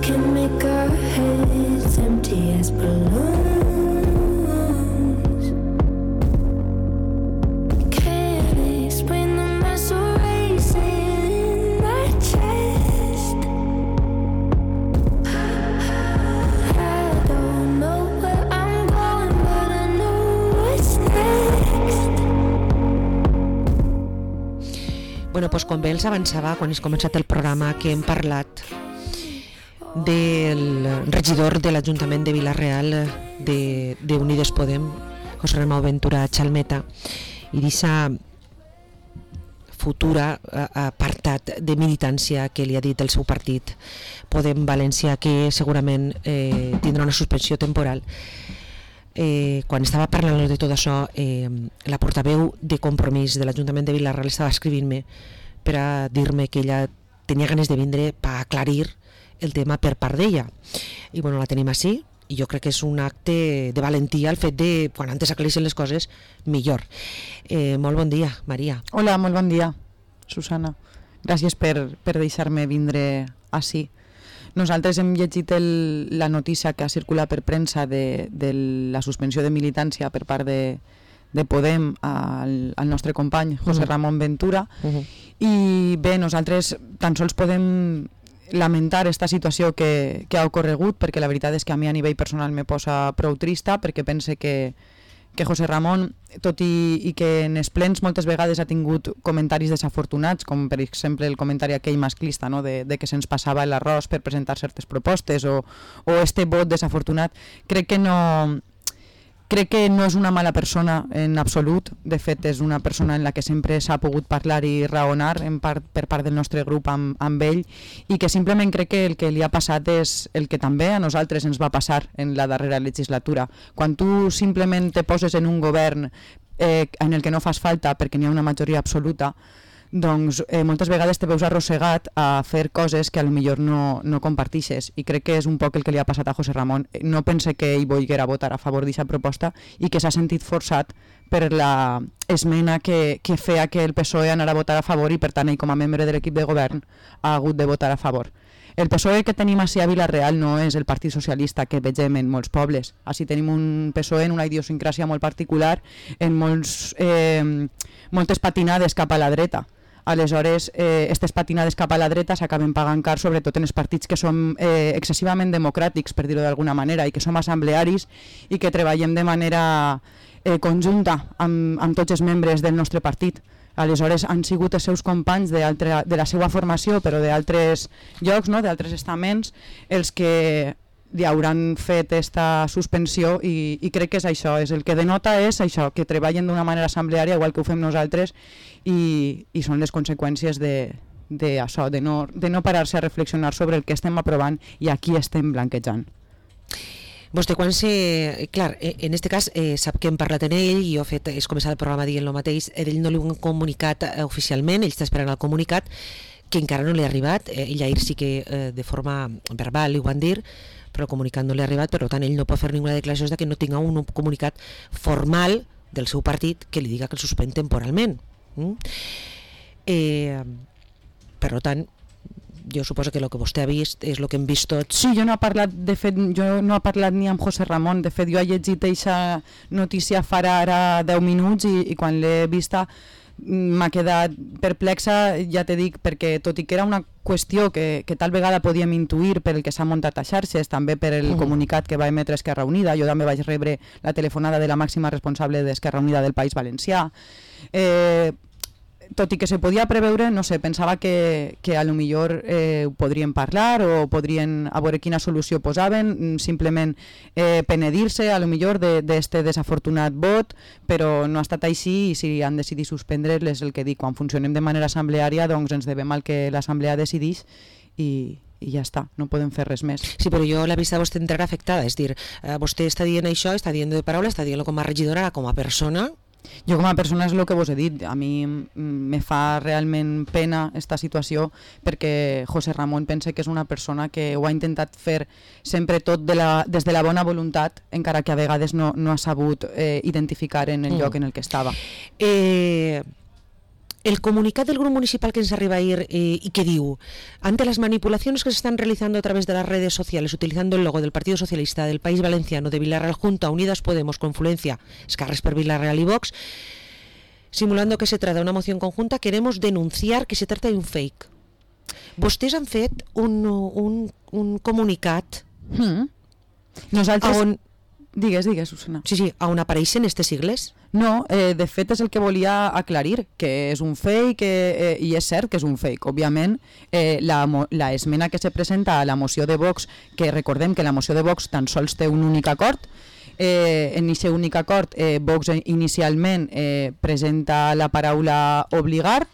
can make our heads empty as balloons. Can't explain the muscle racing in my chest. I don't know where I'm going, but I know what's next. Bueno, doncs com bé els avançava quan has començat el programa, que hem parlat del regidor de l'Ajuntament de Vila-real de Unides Podem, José Ramón Ventura Chalmeta, i d'aquesta futura apartat de militància que li ha dit el seu partit Podem València, que segurament tindrà una suspensió temporal. Quan estava parlant de tot això, la portaveu de Compromís de l'Ajuntament de Vila-real estava escrivint-me per a dir-me que ella tenia ganes de vindre per aclarir el tema per part d'ella, i bueno, la tenim així, i jo crec que és un acte de valentia el fet de, quan antes aclareixen les coses, millor. Molt bon dia, Maria. Hola, molt bon dia, Susana. Gràcies per deixar-me vindre així. Nosaltres hem llegit la notícia que ha circulat per premsa de la suspensió de militància per part de Podem al nostre company José Ramón Ventura, i bé, nosaltres tan sols podem lamentar esta situació que ha ocorregut, perquè la veritat és que a mi a nivell personal me posa prou trista, perquè pense que José Ramón, tot i que en els plens moltes vegades ha tingut comentaris desafortunats, com per exemple el comentari aquell masclista, no? de que se'ns passava l'arròs per presentar certes propostes, o este vot desafortunat, crec que no és una mala persona en absolut. De fet, és una persona en la que sempre s'ha pogut parlar i raonar per part del nostre grup amb ell, i que simplement crec que el que li ha passat és el que també a nosaltres ens va passar en la darrera legislatura. Quan tu simplement te poses en un govern en el que no fas falta perquè n'hi ha una majoria absoluta, doncs moltes vegades te veus arrossegat a fer coses que potser no compartixes, i crec que és un poc el que li ha passat a José Ramón. No pense que ell volguera votar a favor d'aquesta proposta i que s'ha sentit forçat per la esmena que feia que el PSOE anara a votar a favor, i per tant ell com a membre de l'equip de govern ha hagut de votar a favor. El PSOE que tenim així a Vila-real no és el Partit Socialista que vegem en molts pobles. Així tenim un PSOE en una idiosincràsia molt particular, en moltes patinades cap a la dreta. Aleshores, aquestes patinades cap a la dreta s'acaben pagant car, sobretot en els partits que som excessivament democràtics, per dir-ho d'alguna manera, i que som assemblearis i que treballem de manera conjunta amb tots els membres del nostre partit. Aleshores, han sigut els seus companys de la seva formació, però d'altres llocs, no? D'altres estaments, els que li hauran fet aquesta suspensió, i crec que és això, és el que denota és això, que treballen d'una manera assembleària igual que ho fem nosaltres, i són les conseqüències d'això, de no parar-se a reflexionar sobre el que estem aprovant i a qui estem blanquejant. Vostè quan clar, en aquest cas sap que hem parlat amb ell, i jo he començat el programa dient el mateix, ell no li ho han comunicat oficialment, ell està esperant el comunicat, que encara no li ha arribat. Ell ahir sí que de forma verbal li ho van dir, però el comunicat no li ha arribat, per tant ell no pot fer ninguna declaració de que no tinga un comunicat formal del seu partit que li diga que el suspèn temporalment. Per tant, jo suposo que el que vostè ha vist és el que hem vist tots. Sí, jo no he parlat ni amb José Ramón. De fet, jo he llegit aquesta notícia farà ara 10 minuts i quan l'he vista m'ha quedat perplexa, ja te dic, perquè tot i que era una qüestió que tal vegada podíem intuir per el que s'ha muntat a xarxes, també per el comunicat que va emetre Esquerra Unida. Jo també vaig rebre la telefonada de la màxima responsable d'Esquerra Unida del País Valencià. Tot i que se podia preveure, no sé, pensava que a lo millor ho podrien parlar o podrien a veure quina solució posaven, simplement penedir-se a lo millor d'este desafortunat vot, però no ha estat així, i si han decidit suspendre-les, el que dic, quan funcionem de manera assembleària, doncs ens devem al que l'assemblea decideix, i ja està, no podem fer res més. Sí, però jo la vista de vostè entrarà afectada, és dir, vostè està dient això, està dient de paraula, està dient com a regidora, com a persona. Jo com a persona és el que vos he dit, a mi me fa realment pena esta situació, perquè José Ramón pense que és una persona que ho ha intentat fer sempre tot des de la bona voluntat, encara que a vegades no ha sabut identificar en el lloc en el que estava. El comunicat del grupo municipal que nos arriba a ir y que diu, ante las manipulaciones que se están realizando a través de las redes sociales utilizando el logo del Partido Socialista del País Valenciano, de Villarreal Junta, Unidas Podemos, Confluencia, Escarres per Villarreal y Vox, simulando que se trata de una moción conjunta, queremos denunciar que se trata de un fake. Vostès han fet un comunicat Nosaltres... on... Digues, Susana. Sí, on apareixen aquestes sigles? No, de fet és el que volia aclarir, que és un fake, i és cert que és un fake. Òbviament, la esmena que se presenta a la moció de Vox, que recordem que la moció de Vox tan sols té un únic acord, en aquest únic acord Vox inicialment presenta la paraula obligar,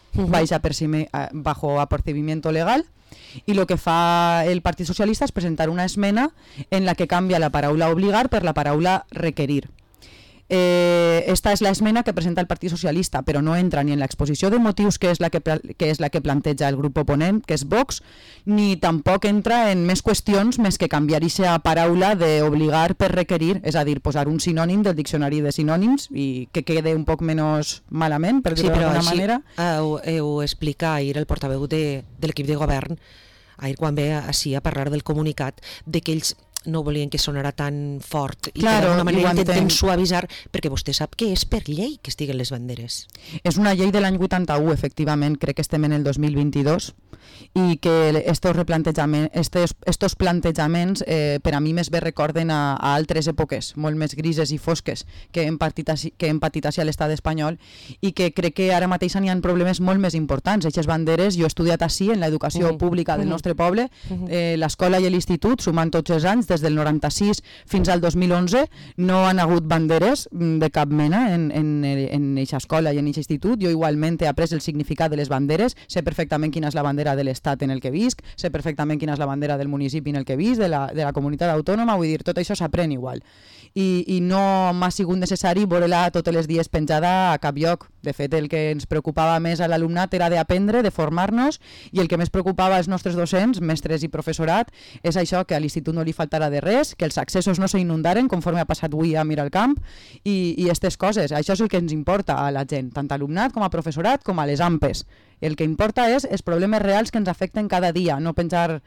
bajo apercibimiento legal, y lo que fa el Partit Socialista és presentar una esmena en la que canvia la paraula obligar per la paraula requerir. Esta és l'esmena que presenta el Partit Socialista, però no entra ni en l'exposició de motius, que és la que planteja el grup oponent, que és Vox, ni tampoc entra en més qüestions més que canviar aquesta paraula d'obligar per requerir, és a dir, posar un sinònim del diccionari de sinònims i que quede un poc menys malament, per dir-ho d'alguna manera. Sí, però així ho explica ahir el portaveu de l'equip de govern, ahir quan ve així a parlar del comunicat, de que ells no volien que sonara tan fort i claro, d'alguna manera intentem suavitzar, perquè vostè sap que és per llei que estiguen les banderes. És una llei de l'any 81, efectivament, crec que estem en el 2022, i que estos plantejaments per a mi més bé recorden a altres èpoques, molt més grises i fosques que hem patit a l'estat espanyol, i que crec que ara mateix n'hi ha problemes molt més importants. Aquestes banderes, jo he estudiat així en l'educació pública del nostre poble, l'escola i l'institut, sumant tots els anys, des del 96 fins al 2011, no han hagut banderes de cap mena en aquesta escola i en aquest institut. Jo igualment he après el significat de les banderes, sé perfectament quina és la bandera de l'estat en el que visc, sé perfectament quina és la bandera del municipi en el que visc, de la comunitat autònoma, vull dir, tot això s'aprèn igual. I no m'ha sigut necessari veure-la tots els dies penjada a cap lloc. De fet, el que ens preocupava més a l'alumnat era d'aprendre, de formar-nos, i el que més preocupava als nostres docents, mestres i professorat, és això, que a l'institut no li faltarà de res, que els accessos no s'inundaren conforme ha passat avui a Miralcamp, i aquestes coses. Això és el que ens importa a la gent, tant a alumnat com a professorat com a les AMPes. El que importa és els problemes reals que ens afecten cada dia, no penjar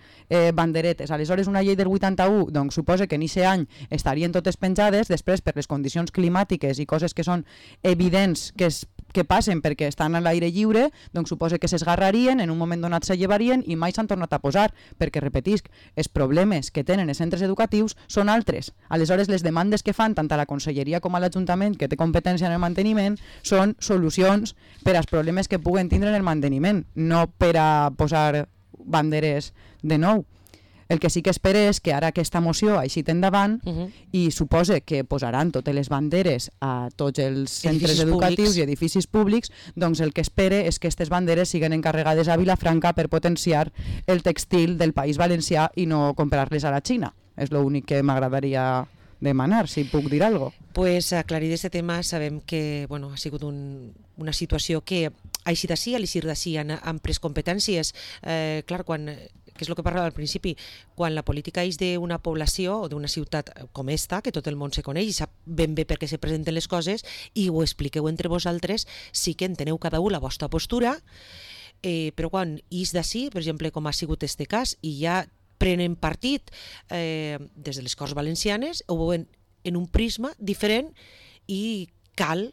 banderetes. Aleshores, una llei del 81, doncs suposa que en aquest any estarien totes penjades, després per les condicions climàtiques i coses que són evidents que passen perquè estan a l'aire lliure, doncs suposa que s'esgarrarien, en un moment donat se llevarien i mai s'han tornat a posar, perquè, repetisc, els problemes que tenen els centres educatius són altres. Aleshores, les demandes que fan tant a la Conselleria com a l'Ajuntament, que té competència en el manteniment, són solucions per als problemes que puguen tindre en el manteniment, no per a posar banderes de nou. El que sí que espero és que ara aquesta moció així endavant i suposa que posaran totes les banderes a tots els centres educatius i edificis públics, doncs el que espero és que aquestes banderes siguin encarregades a Vilafranca per potenciar el textil del País Valencià i no comprar-les a la Xina. És l'únic que m'agradaria demanar, si puc dir alguna cosa. Pues aclarir aquest tema, sabem que ha sigut una situació que així d'ací, a l'eixir d'ací han pres competències. Clar, que és el que parlava al principi, quan la política és d'una població o d'una ciutat com esta, que tot el món se coneix i sap ben bé per què se presenten les coses, i ho expliqueu entre vosaltres, sí que enteneu cada un la vostra postura, però quan és d'ací, per exemple, com ha sigut este cas, i ja prenen partit des de les Corts Valencianes, ho veuen en un prisma diferent i cal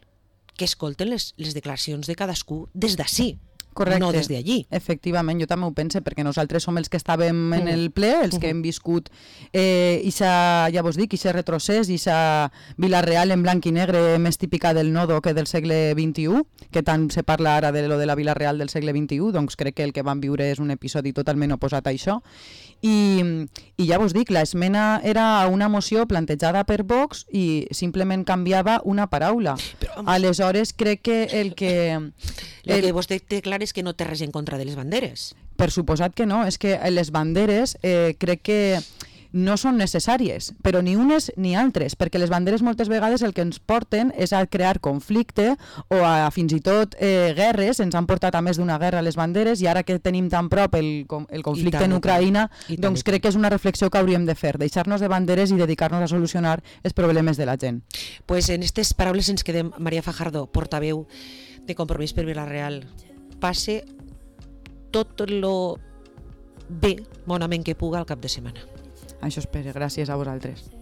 que escolten les declaracions de cadascú des d'ací. Correcte. No des d'allí. Efectivament, jo també ho penso, perquè nosaltres som els que estàvem en el ple, els que hem viscut ja vos dic, ixe retrocés, ixa Vila-real en blanc i negre més típica del nodo que del segle XXI, que tant se parla ara de lo de la Vila-real del segle XXI, doncs crec que el que vam viure és un episodi totalment oposat a això. I ja vos dic, l'esmena era una moció plantejada per Vox i simplement canviava una paraula. Aleshores crec que el que... El que vostè té clar és que no té res en contra de les banderes. Per suposat que no, és que les banderes crec que no són necessàries, però ni unes ni altres, perquè les banderes moltes vegades el que ens porten és a crear conflicte o a fins i tot guerres. Ens han portat a més d'una guerra les banderes, i ara que tenim tan prop el conflicte en Ucraïna, doncs crec que és una reflexió que hauríem de fer, deixar-nos de banderes i dedicar-nos a solucionar els problemes de la gent. Pues en aquestes paraules ens quedem. Maria Fajardo, portaveu de Compromís per Vila-real. passe tot lo bé, bonament que puga al cap de setmana. Això espero, gràcies a vosaltres.